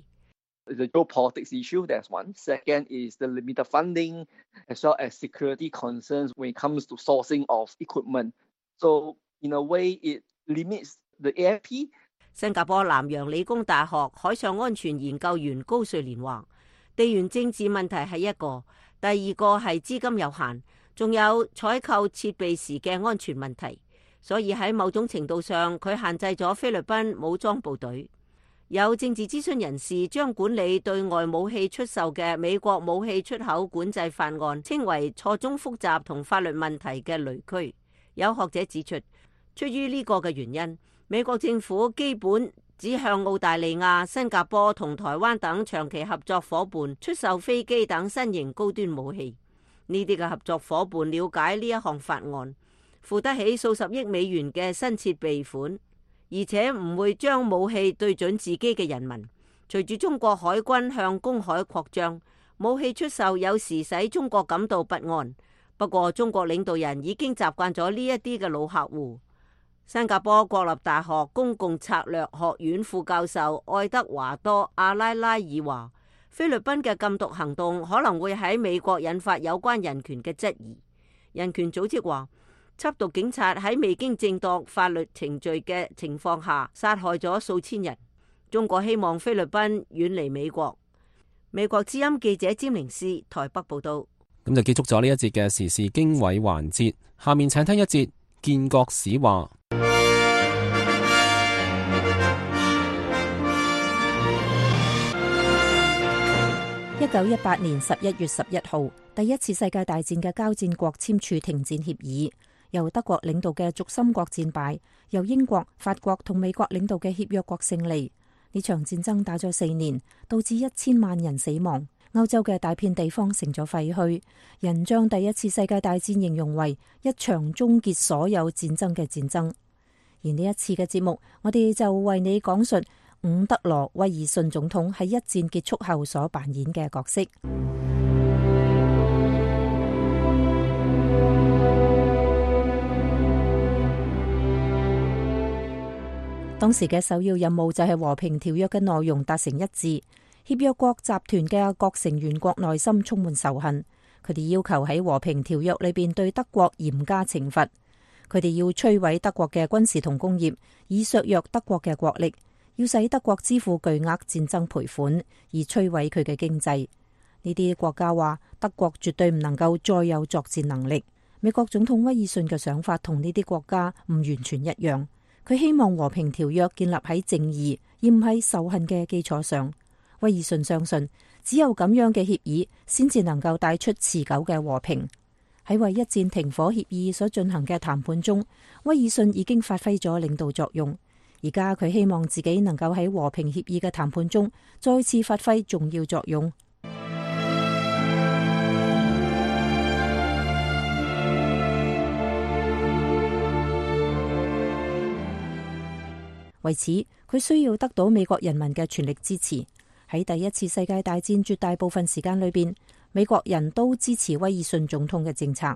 The geopolitics issue, that's one. Second is the limited funding, as well as security concerns when it comes to sourcing of equipment. So, in a way, it limits the AFP. 新加坡南洋理工大學海上安全研究員高瑞蓮話，地緣政治問題係一個，第二個係資金有限，仲有採購設備時嘅安全問題。所以喺某種程度上，佢限制咗菲律賓武裝部隊。有政治諮詢人士將管理對外武器出售嘅美國武器出口管制法案稱為錯綜複雜同法律問題嘅雷區。有學者指出，出於呢個嘅原因，美國政府基本只向澳大利亞、新加坡同台灣等長期合作夥伴出售飛機等新型高端武器。呢啲嘅合作夥伴了解呢一項法案，付得起數十億美元嘅新設備款，而且唔會將武器對準自己嘅人民。隨住中國海軍向公海擴張，武器出售有時使中國感到不安。不過中國領導人已經習慣咗呢一啲嘅老客戶。新加坡國立大學公共策略學院副教授愛德華多阿拉拉爾話，菲律賓嘅禁毒行動可能會喺美國引發有關人權嘅質疑。人權組織話，緝毒警察喺未經正當法律程序嘅情況下殺害咗數千人。中國希望菲律賓遠離美國。美國之音記者詹寧斯台北報道。咁就結束咗呢一節嘅時事經緯環節，下面請聽一節建國史話。1918年11月11號，第一次世界大戰嘅交戰國簽署停戰協議，由德國領導嘅軸心國戰敗，由英國、法國同美國領導嘅協約國勝利。呢場戰爭打咗4年，導致1000萬人死亡。歐洲嘅大片地方成咗廢墟，人將第一次世界大戰形容為一場終結所有戰爭嘅戰爭。而呢一次嘅節目，我哋就為你講述伍德羅威爾遜總統喺一戰結束後所扮演嘅角色。當時嘅首要任務就係和平條約嘅內容達成一致。協約國集團嘅各成員國內心充滿仇恨，佢哋要求喺和平條約裏邊對德國嚴加懲罰，佢哋要摧毀德國嘅軍事同工業，以削弱德國嘅國力，要使德國支付巨額戰爭賠款，以摧毀佢嘅經濟。呢啲國家話德國絕對唔能夠再有作戰能力。美國總統威爾遜嘅想法同呢啲國家唔完全一樣，佢希望和平條約建立喺正義而唔係仇恨嘅基礎上。威爾遜相信，只有咁樣嘅協議先至能夠帶出持久嘅和平。喺為一戰停火協議所進行嘅談判中，威爾遜已經發揮咗領導作用。而家佢希望自己能夠喺和平協議嘅談判中再次發揮重要作用。為此，佢需要得到美國人民嘅全力支持。喺第一次世界大戰絕大部分時間裏邊，美國人都支持威爾遜總統嘅政策。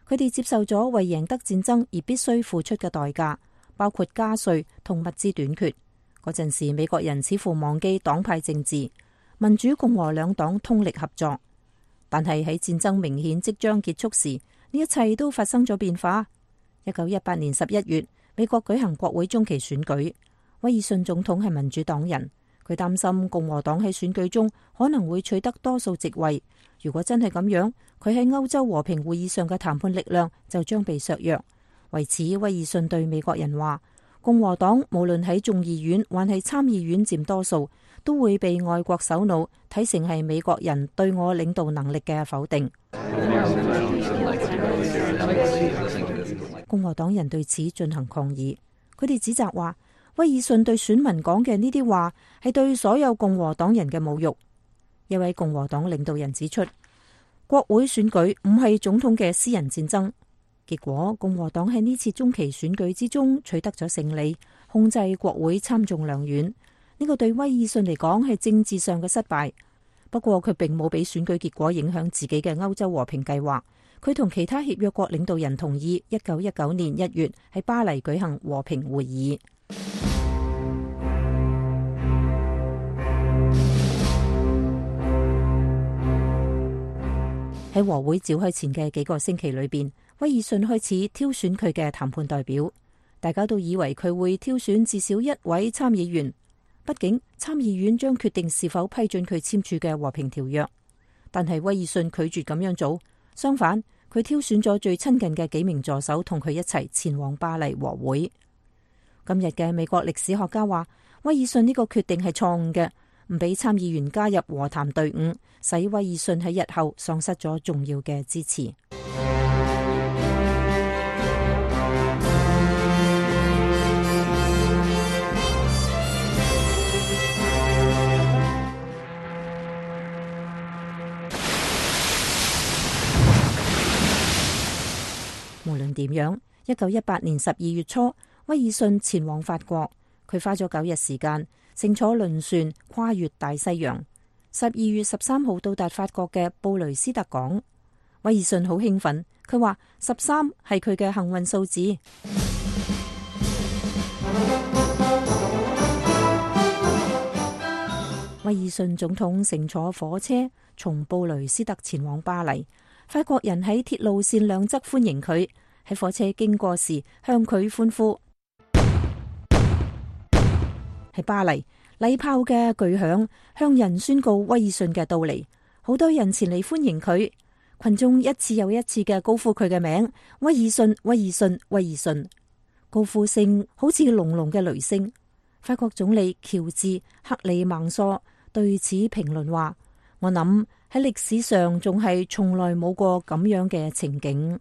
佢哋接受咗為贏得戰爭而必須付出嘅代價，包括加稅同物資短缺。嗰陣時，美國人似乎忘記黨派政治，民主共和兩黨通力合作。但係喺戰爭明顯即將結束時，呢一切都發生咗變化。1918年11月，美國舉行國會中期選舉，威爾遜總統係民主黨人。佢擔心共和黨喺選舉中可能會取得多數席位。如果真係咁樣，佢喺歐洲和平會議上嘅談判力量就將被削弱。為此，威爾遜對美國人話：共和黨無論喺眾議院還係參議院佔多數，都會被外國首腦睇成係美國人對我領導能力嘅否定。共和黨人對此進行抗議，佢哋指責話，威爾遜對選民講嘅呢啲話係對所有共和黨人嘅侮辱。一位共和黨領導人指出，國會選舉唔係總統嘅私人戰爭。結果，共和黨喺呢次中期選舉之中取得咗勝利，控制國會參眾兩院。呢個對威爾遜嚟講係政治上嘅失敗。不過佢並冇俾選舉結果影響自己嘅歐洲和平計劃。佢同其他協約國領導人同意1919年1月喺巴黎舉行和平會議。喺和會召開前嘅幾個星期裏邊，威爾遜開始挑選佢嘅談判代表。大家都以為佢會挑選至少一位參議員，畢竟參議院將決定是否批准佢簽署嘅和平條約。但係威爾遜拒絕咁樣做，相反，佢挑選咗最親近嘅幾名助手同佢一齊前往巴黎和會。今日嘅美國歷史學家話，威爾遜呢個決定係錯誤嘅，唔俾參議員加入和談隊伍，使威爾遜喺日後喪失咗重要嘅支持。無論點樣，1918年12月初，威爾遜前往法國，佢花咗9日時間，乘坐輪船跨越大西洋。12月13號到達法國嘅布雷斯特港。威爾遜好興奮，佢話13係佢嘅幸運數字。威爾遜總統乘坐火車從布雷斯特前往巴黎。法國人喺鐵路線兩側歡迎佢，喺火車經過時向佢歡呼。喺巴黎，禮炮嘅巨響向人宣告威爾遜嘅到嚟，好多人前嚟歡迎佢，群眾一次又一次嘅高呼佢嘅名：威爾遜，威爾遜，威爾遜。高呼聲好似隆隆嘅雷聲。法國總理喬治克里孟梭對此評論話：我諗喺歷史上仲係從來冇過咁樣嘅情景。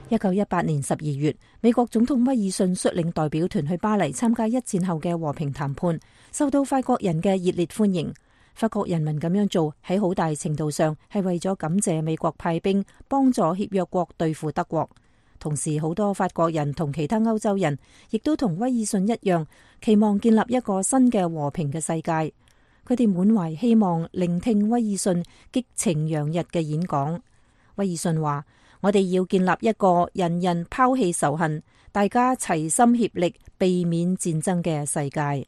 1918年12月，美國總統威爾遜率領代表團去巴黎參加一戰後嘅和平談判，受到法國人嘅熱烈歡迎。法國人民咁樣做喺好大程度上係為咗感謝美國派兵幫助協約國對付德國。同時，好多法國人同其他歐洲人亦都同威爾遜一樣，期望建立一個新嘅和平嘅世界。佢哋滿懷希望聆聽威爾遜激情洋溢嘅演講。威爾遜話：我哋要建立一個人人拋棄仇恨，大家齊心協力避免戰爭嘅世界。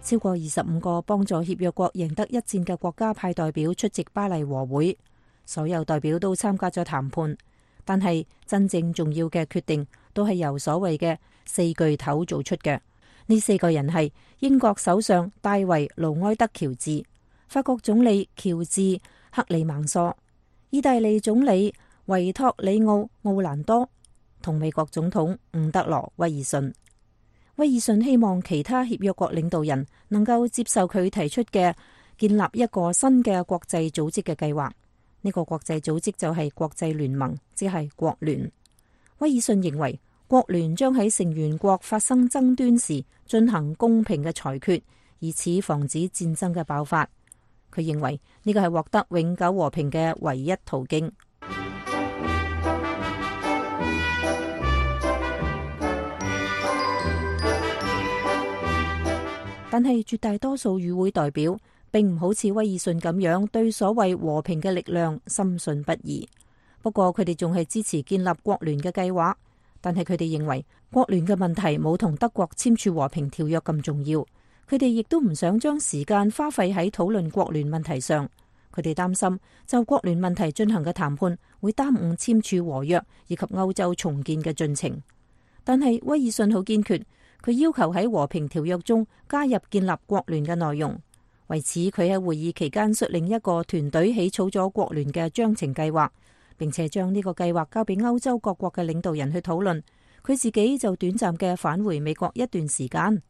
超過25個幫助協約國贏得一戰嘅國家派代表出席巴黎和會，所有代表都參加咗談判，但係真正重要嘅決定都係由所謂嘅4巨頭做出嘅。呢4個人係英國首相大衛盧埃德喬治、法國總理喬治克里孟梭、意大利總理維托里奧奧蘭多、同美國總統伍德羅威爾遜。威爾遜希望其他協約國領導人能夠接受佢提出嘅建立一個新嘅國際組織嘅計劃。呢個國際組織就係國際聯盟，即係國聯。威爾遜認為國聯將喺成員國發生爭端時進行公平嘅裁決，以此防止戰爭嘅爆發。佢認為呢個係獲得永久和平嘅唯一途徑。但係絕大多數與會代表並唔好似威爾遜咁樣對所謂和平嘅力量深信不疑。不過佢哋仲係支持建立國聯嘅計劃，但係佢哋認為國聯嘅問題冇同德國簽署和平條約咁重要。佢哋亦都唔想將時間花費喺討論國聯問題上。佢哋擔心就國聯問題進行嘅談判會耽誤簽署和約以及歐洲重建嘅進程。但係威爾遜好堅決。佢要求喺和平條約中加入建立國聯嘅內容。為此，佢喺會議期間率領一個團隊起草咗國聯嘅章程計劃，並且將呢個計劃交俾歐洲各國嘅領導人去討論。佢自己就短暫嘅返回美國一段時間。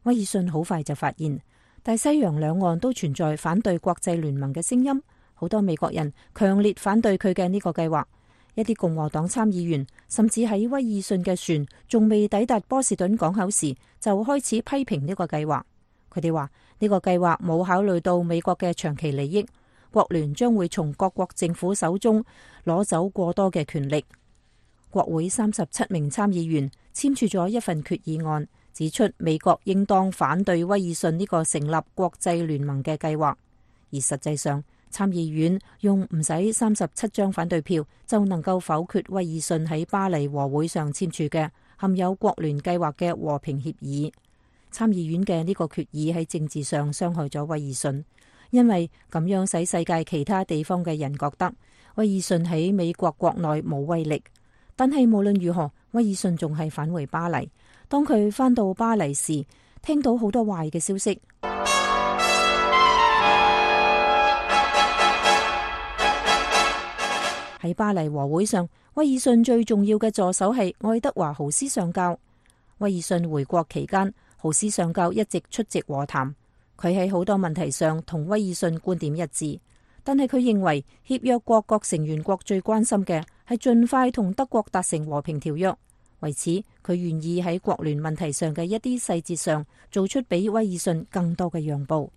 威爾遜好快就發現大西洋兩岸都存在反對國際聯盟嘅聲音，好多美國人強烈反對佢嘅呢個計劃。一啲共和黨參議員甚至喺威爾遜嘅船仲未抵達波士頓港口時就開始批評呢個計劃。佢哋話呢個計劃冇考慮到美國嘅長期利益，國聯將會從各國政府手中攞走過多嘅權力。國會37名參議員簽署咗一份決議案，指出美國應當反對威爾遜呢個成立國際聯盟嘅計劃，而實際上參議院用唔使37張反對票就能夠否決威爾遜喺巴黎和會上簽署嘅含有國聯計劃嘅和平協議。參議院嘅呢個決議喺政治上傷害咗威爾遜，因為咁樣使世界其他地方嘅人覺得威爾遜喺美國國內冇威力。但係無論如何，威爾遜仲係返回巴黎。當佢返到巴黎時，聽到好多壞嘅消息。喺巴黎和會上，威爾遜最重要嘅助手係愛德華豪斯上校。威爾遜回國期間，豪斯上校一直出席和談。佢喺好多問題上同威爾遜觀點一致，但係佢認為協約國各成員國最關心嘅係盡快同德國達成和平條約。為此，佢願意喺國聯問題上嘅一啲細節上做出比威爾遜更多嘅讓步。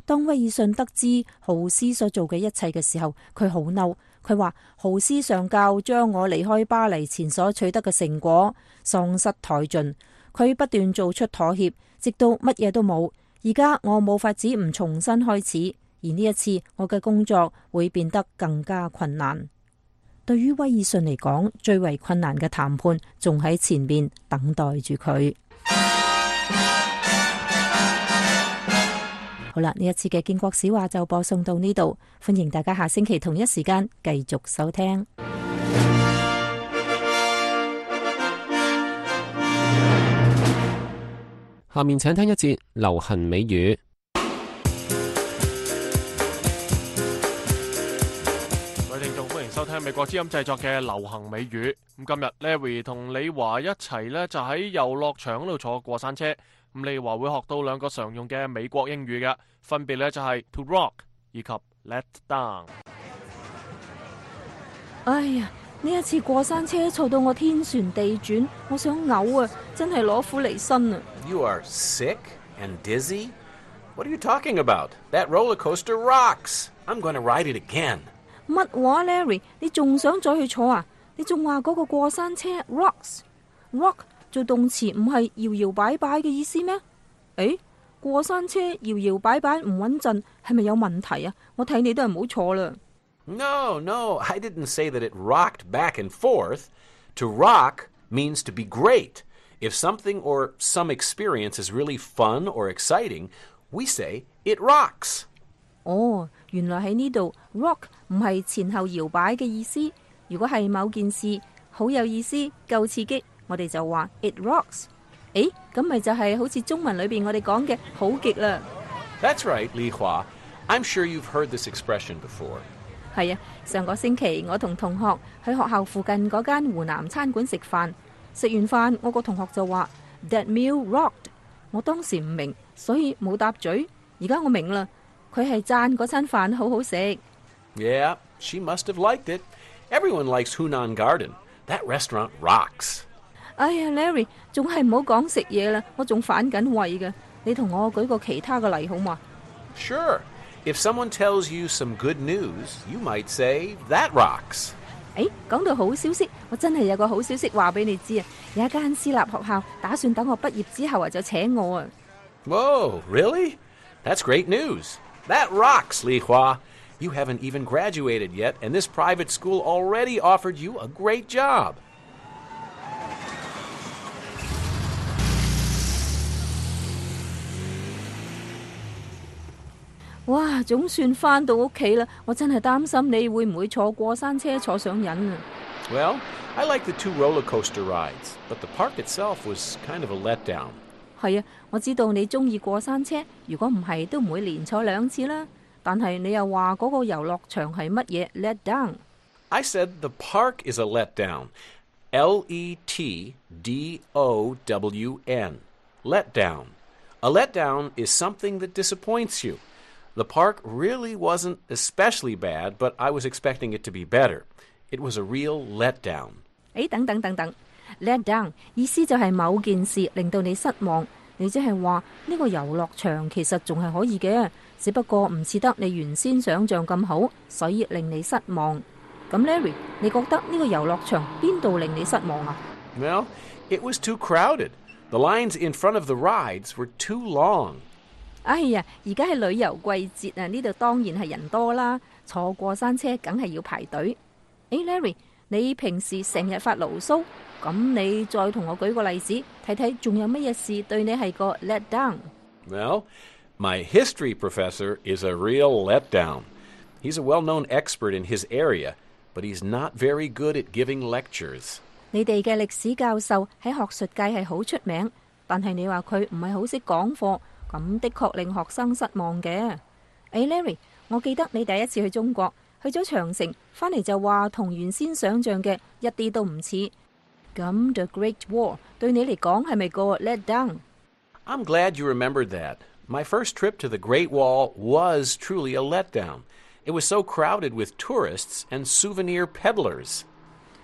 當威爾遜得知豪斯所做嘅一切嘅時候，佢好嬲。佢話豪斯上校將我離開巴黎前所取得嘅成果喪失殆盡。佢不斷做出妥協，直到乜嘢都冇。而家我冇法子唔重新開始，而呢一次我嘅工作會變得更加困難。對於威爾遜嚟講，最為困難嘅談判仲喺前面等待住佢。好啦，呢一次嘅建國史話就播送到呢度，歡迎大家下星期同一時間繼續收聽。下面請聽一節流行美語。收聽美國之音製作嘅流行美語。咁今日 Larry 同李華一齊呢，就喺遊樂場嗰度坐過山車。咁李華會學到兩個常用嘅美國英語嘅，分別呢就係 to rock 以及 let down。哎呀，呢一次過山車坐到我天旋地轉，我想嘔啊！真係攞苦嚟辛啊！ You are sick and dizzy? What are you talking about? That roller coaster rocks. I'm going to ride it again. 乜話 Larry？ 你仲想再去坐啊？你仲話嗰個過山車 rocks？rock 做動詞唔係搖搖擺擺嘅意思咩？誒，過山車搖搖擺擺唔穩陣，係咪有問題啊？我睇你都係唔好坐啦。No, I didn't say that it rocked back and forth. To rock means to be great. If something or some experience is really fun or exciting, we say it rocks. 哦，原來喺呢度 rock 唔係前後搖擺嘅意思。如果係某件事好有意思、夠刺激，我哋就話 it rocks。誒，咁咪就係好似中文裏邊我哋講嘅好極啦。That's right, Li Hua. I'm sure you've heard this expression before. 係啊，上個星期我同同學去學校附近嗰間湖南餐館食飯，食完飯我個同學就話 That meal rocked。我當時唔明，所以冇答嘴。而家我明啦，佢係讚嗰餐飯好好食。Yeah, she must have liked it. Everyone likes Hunan Garden. That restaurant rocks. 哎呀 ，Larry， 仲係唔好講食嘢啦，我仲反緊胃㗎。你同我舉個其他嘅例好嘛？ Sure. If someone tells you some good news, you might say, That rocks. 講到好消息，我真係有個好消息話俾你知啊！有一間私立學校打算等我畢業之後就請我啊！ Whoa, really? That's great news. That rocks, Li Hua. You haven't even graduated yet, and this private school already offered you a great job. 哇，總算返到屋企啦！我真係擔心你會唔會坐過山車坐上癮啊！ Well, I like the 2 roller coaster rides, but the park itself was kind of a letdown. 係啊，我知道你中意過山車，如果唔係都唔會連坐2次啦。但係你又話嗰個遊樂場係乜嘢 let down？ I said the park is a letdown. Letdown. Letdown. A letdown is something that disappoints you. The park really wasn't especially bad, but I was expecting it to be better. It was a real letdown. 等 let down 意思就係某件事令到你失望，你即係話呢個遊樂場其實仲係可以嘅，只不過唔似得你原先想象咁好，所以令你失望。咁 Larry， 你覺得呢個遊樂場邊度令你失望啊？ Well, it was too crowded. The lines in front of the rides were too long. 哎呀，而家係旅遊季節啊，呢度當然係人多啦，坐過山車梗係要排隊。Larry， 你平時成日發牢騷，咁你再同我舉個例子，睇睇仲有乜嘢事對你係個 let down？ Well, my history professor is a real letdown. He's a well-known expert in his area, but he's not very good at giving lectures. 你哋嘅歷史教授喺學術界係好出名，但係你話佢唔係好識講課，咁的確令學生失望嘅。Larry， 我記得你第一次去中國，去咗長城，返嚟就話同原先想象嘅一啲都唔似。咁 The Great Wall 對你嚟講係咪個 let down？ I'm glad you remembered that. My first trip to the Great Wall was truly a letdown. It was so crowded with tourists and souvenir peddlers.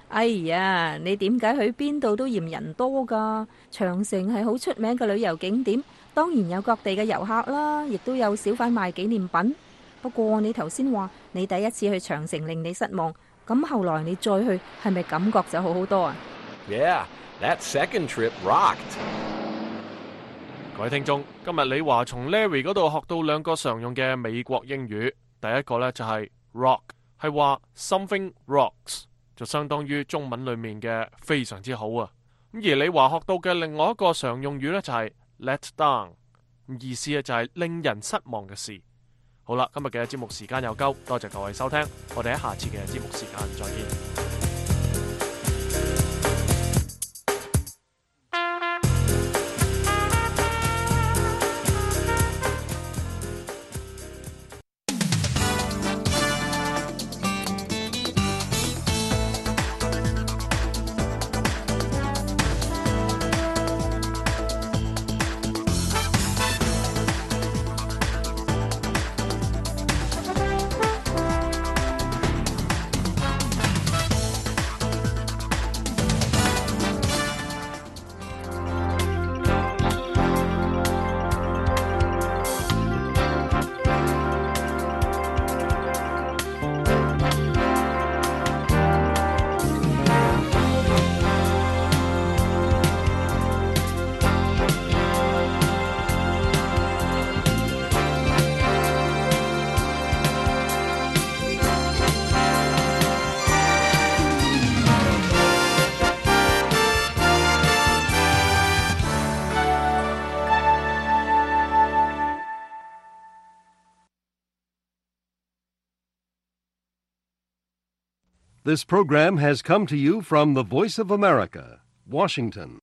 哎呀，你點解去邊度都嫌人多㗎？長城係好出名嘅旅遊景點，當然有各地嘅遊客啦，亦都有小販賣紀念品。不過你頭先話你第一次去長城令你失望，咁後來你再去係咪感覺就好好多啊？ Yeah, that second trip rocked. 各位聽眾，今日李華從 Larry 嗰度學到2個常用嘅美國英語。第一個呢就係 rock， 係話 something rocks， 就相當於中文裏面嘅非常之好啊。咁而李華學到嘅另外一個常用語呢，就係 let down， 意思就係令人失望嘅事。好啦，今日嘅節目時間又夠，多謝各位收聽，我哋喺下次嘅節目時間再見。This program has come to you from the Voice of America, Washington.